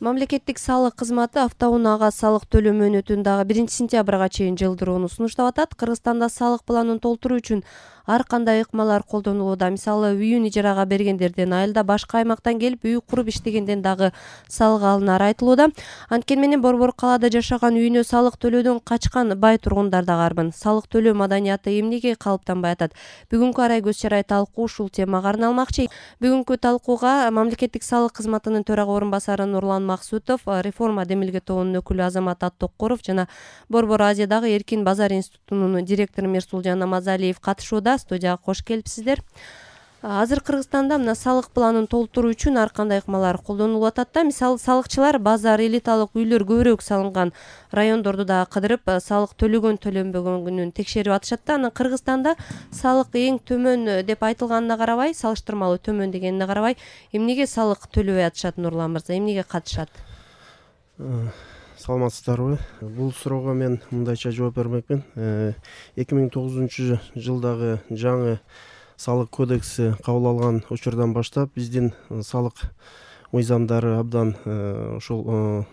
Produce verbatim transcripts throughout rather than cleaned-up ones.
Мамлекеттик салык кызматы автоунаага салык төлөө мөөнөтүн дагы биринчи сентябрга чейин жылдырууну сунуштап атат. Кыргызстанда салык планын толтуруу үчүн ар кандай ыкмалар колдонулууда. Мисалы, үйүн ижарага бергендерден, айылда башка аймактан келип үй куруп иштегенден дагы салык алынары айтылууда. Анткени менен борбор калаада жашаган, үйүнө салык төлөөдөн качкан бай тургундар дагы арбын. Салык төлөө маданияты эмнеге калыптанбай атат? Бүгүнкү арай көз чарай талкуу ушул темага арналмакчы. Бүгүнкү талкууга мамлекеттик салык кызматынын төрага орун басары Нурлан Максутов, реформа демилге тобунун өкүлү Азамат Аттоккоров жана Борбор Азиядагы Эркин базар институтунун директору Мирсулжан Намазалиев катышууда. Студияга кош келипсиздер. Азыр Кыргызстанда мына салык планын толтуруу үчүн ар кандай ыкмалар колдонулуп атат да. Мисалы, салыкчылар базар, элиталык үйлөр көбүрөөк салынган райондорду да кыдырып, салык төлөгөн төлөнбөгөнүн текшерип атышат да. Анан Кыргызстанда салык эң төмөн деп айтылганына карабай, салыштырмалуу төмөн дегенине карабай, эмнеге салык төлөбөй атышат Нурлан мырза? Эмнеге катышат? Саламатсыздарбы? Бул суроого мен мындайча жооп бермекмин. эки миң тогузунчу жылдагы жаңы салык кодекси кабыл алган учурдан баштап биздин салык мыйзамдары абдан ушул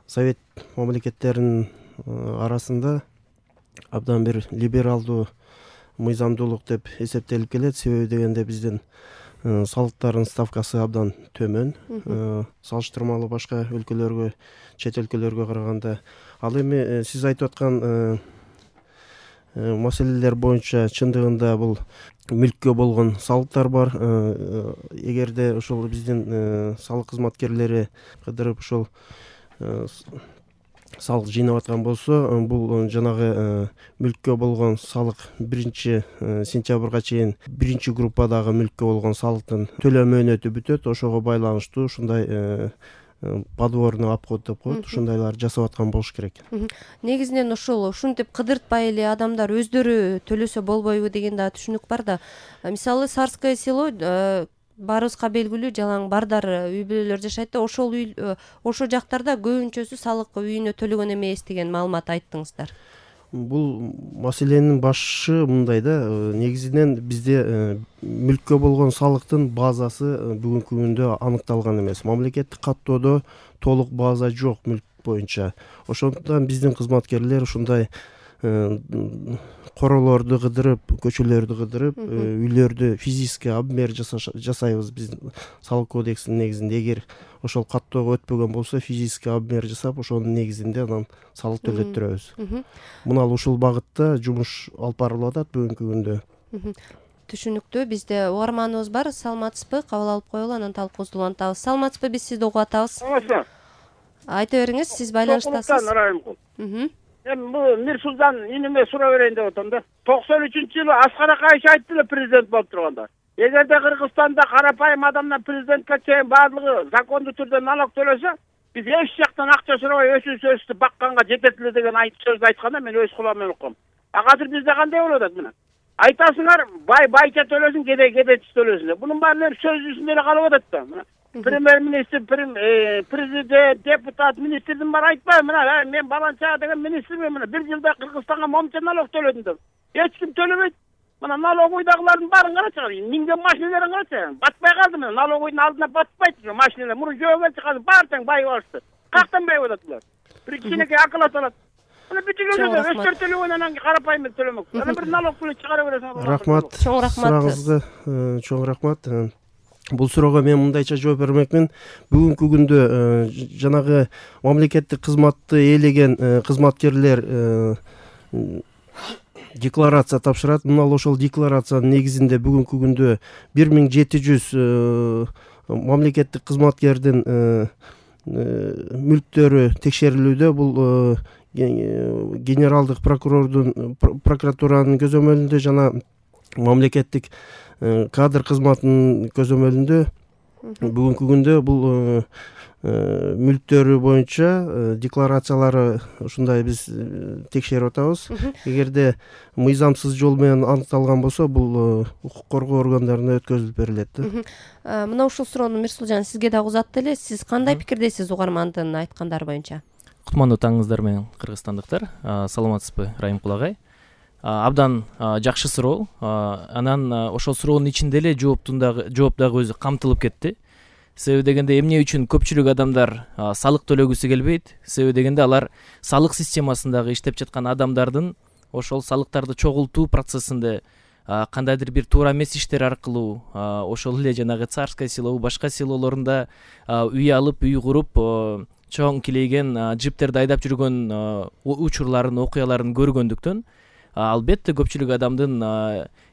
совет мамлекеттеринин арасында абдан бир либералдуу мыйзамдуулук деп эсептелип келет. Себеби дегенде биздин салыктардын ставкасы абдан төмөн, салыштырмалуу башка өлкөлөргө, чет өлкөлөргө караганда. Ал эми сиз айтып аткан маселелер боюнча чындыгында бул мүлккө болгон салыктар бар. Эгерде ошол биздин салык кызматкерлери кыдырып ошол салык жыйнап аткан болсо, бул жанагы мүлккө болгон салык биринчи сентябрга чейин биринчи группадагы мүлккө болгон салыктын төлөө мөөнөтү бүтөт. Ошого байланыштуу ушундай подворный обход деп коет, ушундайлар жасап аткан болуш керек. Негизинен ушул ушинтип кыдыртпай эле адамдар өздөрү төлөсө болбойбу деген да түшүнүк бар да. Мисалы, Сарское село баарыбызга белгилүү жалаң бардар үй бүлөлөр жашайт да, ошол үй ошол жактарда көбүнчөсү салык үйүнө төлөгөн эмес деген маалымат айттыңыздар. Бул маселенин башы мындай да, негизинен бизде мүлккө болгон салыктын базасы бүгүнкү күндө аныкталган эмес. Мамлекеттик каттоодо толук база жок мүлк боюнча. Ошондуктан биздин кызматкерлер ушундай королорду кыдырып, көчөлөрдү кыдырып, үйлөрдү физический обмер жасайбыз биздин салык кодексинин негизинде. Эгер ошол каттоого өтпөгөн болсо, физический обмер жасап, ошонун негизинде анан салык төлөттүрөбүз. Мына ушул багытта жумуш алып барылып атат бүгүнкү күндө. Түшүнүктүү. Бизде угарманыбыз бар. Саламатсызбы? Кабыл алып коелу, анан талкуубузду улантабыз. Саламатсызбы? Биз сизди угуп атабыз. Айта бериңиз, сиз байланыштасыз. Эми бул Мирсулжан иниме суроо берейин деп атам да. токсон үчүнчү жылы Аскар Акаевич айтты эле президент болуп турганда. Эгерде Кыргызстанда карапайым адамдан президентке чейин баардыгы закондуу түрдө налог төлөсө, биз эч жактан акча сурабай өсүп өсүп бакканга жетет эле деген сөздү айтканда мен өз кулам менен уккам. А азыр бизде кандай болуп атат мына? Айтасыңар, бай байча төлөсүн, кедей кедейчи төлөсүн деп. Бунун баары сөз жүзүндө эле калып атат да. Мына премьер-министр, президент, депутат, министрдин баары айтпайбы, мына мен баланча деген министрмин, мына бир жылда Кыргызстанга момча налог төлөдүм деп. Эч ким төлөбөйт. Мына налоговойдагылардын баарын карачы, минген машиналарын карачы. Батпай калды мына, налоговойдун алдына батпайт машиналар. Мурун жөө келчи, азыр баары тең байып алышты. Кактан байып атат булар? Бир кичинекей акыл аталат. Мына бүтүгө өстөр төлөгөн анан карапайым төлөмөк. Анан бир налог төлөп чыгара бересиң. Рахмат. Чоң рахмат. Сурагыңызга чоң рахмат. Бул суроого мен мындайча жооп бермекмин. Бүгүнкү күндө жанагы мамлекеттик кызматты ээлеген кызматкерлер декларация тапшырат. Мына ошол декларациянын негизинде бүгүнкү күндө бир миң жети жүз мамлекеттик кызматкердин мүлктөрү текшерилүүдө. Бул генералдык прокурордун прокуратуранын көзөмөлүндө жана мамлекеттик кадр кызматынын көзөмөлүндө бүгүнкү күндө бул мүлктөрү боюнча декларациялары ушундай биз текшерип атабыз. Эгерде мыйзамсыз жол менен аныкталган болсо, бул укук коргоо органдарына өткөзүлүп берилет. Мына ушул суроону Мирсулжан сизге дагы узатты эле. Сиз кандай пикирдесиз угармандын айткандары боюнча? Кутмандуу таңыңыздар менен кыргызстандыктар. Саламатсызбы, Райымкул агай? Абдан жакшы суроо. Анан ошол суроонун ичинде эле жооптун дагы жооп дагы өзү камтылып кетти. Себеби дегенде эмне үчүн көпчүлүк адамдар салык төлөгүсү келбейт? Себеби дегенде алар салык системасындагы иштеп жаткан адамдардын ошол салыктарды чогултуу процессинде кандайдыр бир туура эмес иштер аркылуу ошол эле жанагы царское село башка селолорунда үй алып үй куруп чоң килейген джиптерди айдап жүргөн учурларын окуяларын көргөндүктөн албетте көпчүлүк адамдын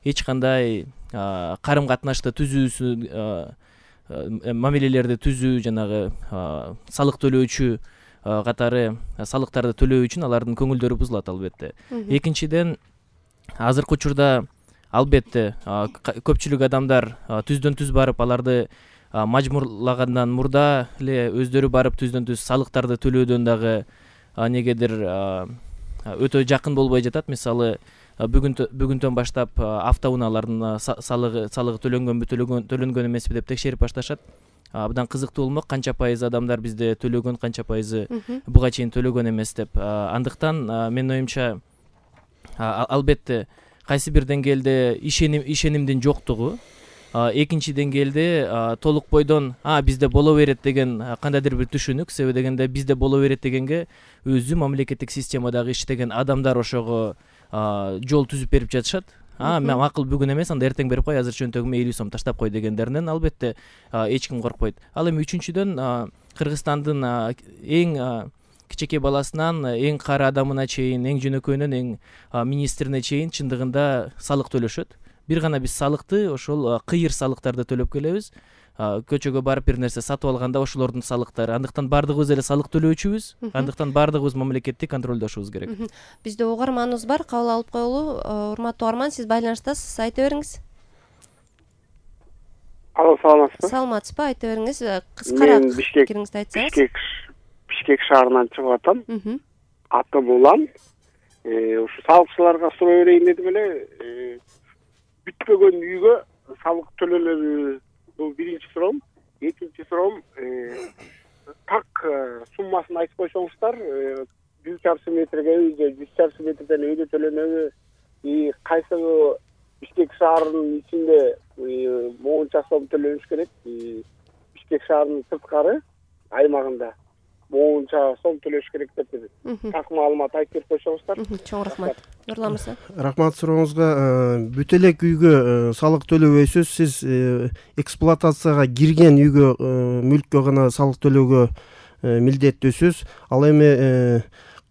эч кандай карым катнашты түзүүсү мамилелерди түзүү жанагы салык төлөөчү катары салыктарды төлөө үчүн алардын көңүлдөрү бузулат албетте. Экинчиден азыркы учурда албетте көпчүлүк адамдар түздөн түз барып аларды мажбурлагандан мурда эле өздөрү барып түздөн түз салыктарды төлөөдөн дагы негедир өтө жакын болбой жатат. Мисалы бүгүн бүгүндөн баштап автоунаалардын салыгы салыгы төлөнгөнбү төлөнгөн эмеспи деп текшерип башташат. Абдан кызыктуу болмок, канча пайыз адамдар бизде төлөгөн, канча пайызы буга чейин төлөгөн эмес деп. Андыктан менин оюмча албетте кайсы бир деңгээлде ишеним ишенимдин жоктугу, экинчи деңгээлде толук бойдон а бизде боло берет деген кандайдыр бир түшүнүк. Себеби дегенде бизде боло берет дегенге өзү мамлекеттик системадагы иштеген адамдар ошого жол түзүп берип жатышат. А макул бүгүн эмес, анда эртең берип кой, азыр чөнтөгүмө элүү сом таштап кой дегендеринен албетте эч ким коркпойт. Ал эми үчүнчүдөн Кыргызстандын эң кичинекей баласынан эң кары адамына чейин, эң жөнөкөйүнөн эң министрине чейин чындыгында салык төлөшөт. Бир гана биз салыкты ошол кыйыр салыктарды төлөп келебиз. Көчөгө барып бир нерсе сатып алганда ошолордун салыктары. Андыктан баардыгыбыз эле салык төлөөчүбүз. Андыктан баардыгыбыз мамлекетти контролдошубуз керек. Бизде угарманыбыз бар, кабыл алып коелу. Урматтуу угарман, сиз байланыштасыз, айта бериңиз. Алло, саламатсызбы? Саламатсызбы, айта бериңиз. Кыскараак пикириңизди айтсаңыз. Бишкек Бишкек шаарынан чыгып атам. Атым Улан. Ушу салыкчыларга суроо берейин дедим эле. Бүтпөгөн үйгө салык төлөлөрү, бул биринчи суроом. Экинчи суроом, так суммасын айтып койсоңуздар, жүз чарчы метрге үйдө, жүз чарчы метрден үйдө төлөнөбү, кайсы Бишкек шаарынын ичинде моунча сом төлөнүш керек, Бишкек шаарынын сырткары аймагында моунча сом төлөш керек деп так маалымат айтып берип койсоңуздар. Чоң рахмат. Нурлан мырза. Рахмат сурооңузга. Бүт элек үйгө салык төлөбөйсүз. Сиз эксплуатацияга кирген үйгө, мүлккө гана салык төлөөгө милдеттүүсүз. Ал эми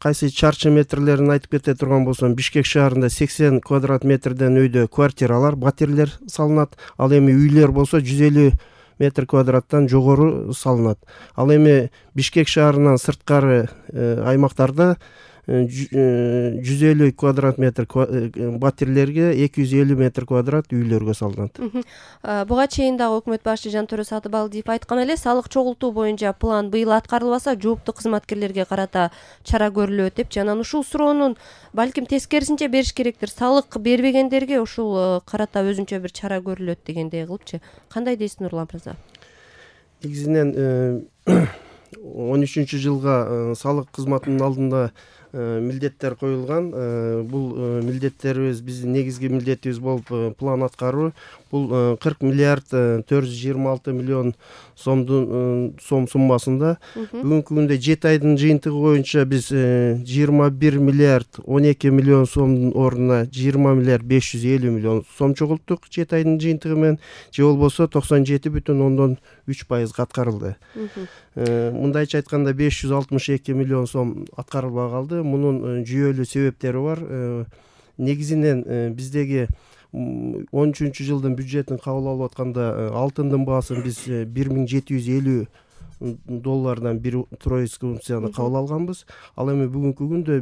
кайсы чарчы метрлерин айтып кете турган болсом, Бишкек шаарында сексен квадрат метрден үйдө квартиралар, батирлер салынат. Ал эми үйлөр болсо жүз элүү метр квадраттан жогору салынат. Ал эми Бишкек шаарынан сырткары аймактарда жүз элүү квадрат метр батирлерге, эки жүз элүү метр квадрат үйлөргө салынат. Буга чейин дагы өкмөт башчы Жантөрө Сатыбалдиев айткан эле, салык чогултуу боюнча план быйыл аткарылбаса, жооптуу кызматкерлерге карата чара көрүлөт деп. Анан ушул суроонун балким тескерисинче бериш керектир. Салык бербегендерге ушул карата өзүнчө бир чара көрүлөт дегендей кылыпчы. Кандай дейсиз, Нурлан мырза? Негизинен он үчүнчү жылга салык кызматынын алдында милдеттер коюлган. Бул милдеттерибиз, биздин негизги милдетибиз болуп план аткаруу. Бул кырк миллиард төрт жүз жыйырма алты миллион сомдун сом суммасында. Бүгүнкү күндө жети айдын жыйынтыгы боюнча биз жыйырма бир миллиард он эки миллион сомдун ордуна жыйырма миллиард беш жүз элүү миллион сом чогулттук жети айдын жыйынтыгы менен, же болбосо токсон жети бүтүн ондон үч пайызга аткарылды. Мындайча айтканда беш жүз алтымыш эки миллион сом аткарылбай калды. Мунун жүйөлүү себептери бар. Негизинен биздеги он үчүнчү жылдын бюджетин кабыл алып атканда алтындын баасын биз бир миң жети жүз элүү доллардан бир тройский унцияны кабыл алганбыз. Ал эми бүгүнкү күндө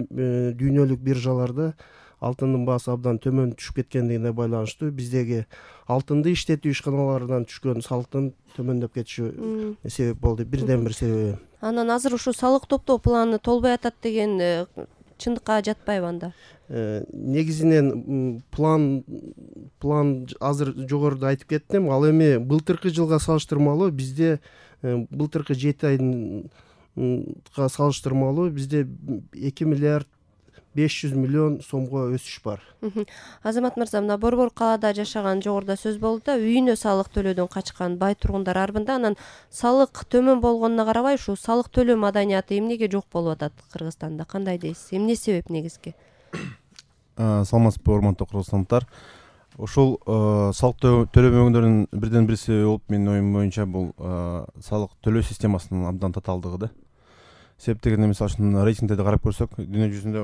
дүйнөлүк биржаларда алтындын баасы абдан төмөн түшүп кеткендигине байланыштуу биздеги алтынды иштетүү ишканаларынан түшкөн салыктын төмөндөп кетиши себеп болду. Бирден бир себеби. Анан азыр ушу салык топтоо планы толбой атат деген чындыкка жатпайбы анда? Негизинен план план азыр жогоруда айтып кеттим. Ал эми былтыркы жылга салыштырмалуу бизде былтыркы жети айга салыштырмалуу бизде эки миллиард беш жүз миллион сомго өсүш бар. Азамат мырза, мына Борбор калаада жашаган жогоруда сөз болду да, үйүнө салык төлөөдөн качкан бай тургундар арбында, анан салык төмөн болгонуна карабай ушул салык төлөө маданияты эмнеге жок болуп атат Кыргызстанда? Кандай дейсиз? Эмне себеп негизги? Саламатсызбы, урматтуу кыргызстандыктар. Ушул салык төлөбөгөндөрдүн бирден бир себеби болуп, менин оюм боюнча, бул салык төлөө системасынын абдан татаалдыгы да. Себеп дегенде, мисалы үчүн рейтингдерди карап көрсөк, дүйнө жүзүндө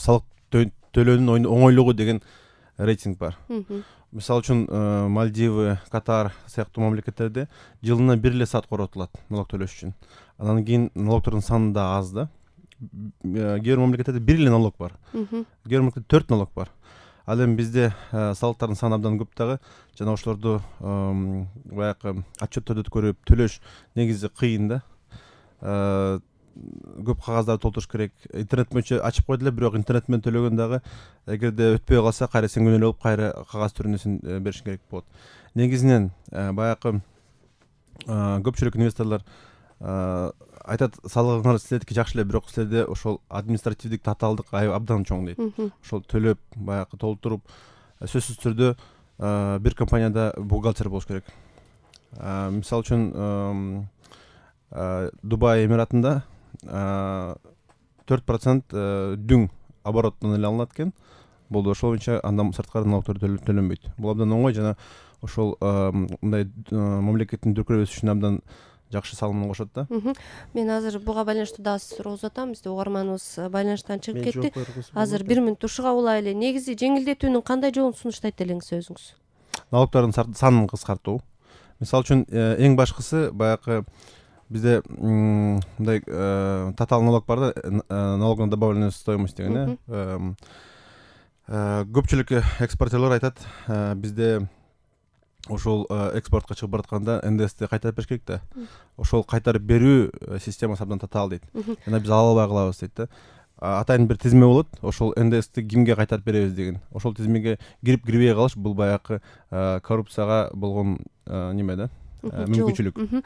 салык төлөөнүн оңойлугу деген рейтинг бар. Мисалы үчүн Мальдивы, Катар сыяктуу мамлекеттерде жылына бир эле саат коротулат налог төлөш үчүн. Анан кийин налогдордун саны да аз да. Кээ бир мамлекеттерде бир эле налог бар. Кээ бир мамлекетте төрт налог бар. Ал эми бизде салыктардын саны абдан көп дагы. Жана ошолорду баягы отчетторду көрүп төлөш негизи кыйын да. Көп кагаздарды толтуруш керек. Интернет боюнча ачып койду эле, бирок интернет менен төлөгөн дагы эгерде өтпөй калса, кайра сен күнөөлүү болуп, кайра кагаз түрүндө сен беришиң керек болот. Негизинен баягы көпчүлүк инвесторлор айтат, салыгыңар силердики жакшы эле, бирок силерде ошол административдик татаалдык абдан чоң дейт. Ошол төлөп, баягы толтуруп, сөзсүз түрдө бир компанияда бухгалтер болуш керек. Мисалы үчүн Дубай Эмиратында төрт процент дүң обороттон эле алынат экен. Бул ошол боюнча андан сырткары налогдор төлөнбөйт. Бул абдан оңой, жана ошол мындай мамлекеттин дүркүрөп өсүшүнө абдан жакшы салымын кошот да. Мен азыр буга байланыштуу дагы суроо узатам. Бизде угарманыбыз байланыштан чыгып кетти. Азыр бир мүнөт тушуга улайлы. Негизи жеңилдетүүнүн кандай жолун сунуштайт элеңиз өзүңүз? Налогдордун санын кыскартуу. Мисалы үчүн эң башкысы баягы бизде мындай татаал налог бар да, налог на добавленную стоимость деген э. Көпчүлүк экспортерлор айтат, бизде ошол экспортко чыгып баратканда эн дэ эсти кайтарып бериш керек да. Ошол кайтарып берүү системасы абдан татаал дейт. Жана биз ала албай калабыз дейт да. Атайын бир тизме болот, ошол эн дэ эсти кимге кайтарып беребиз деген. Ошол тизмеге кирип кирбей калыш, бул баягы коррупцияга болгон неме да, мүмкүнчүлүк.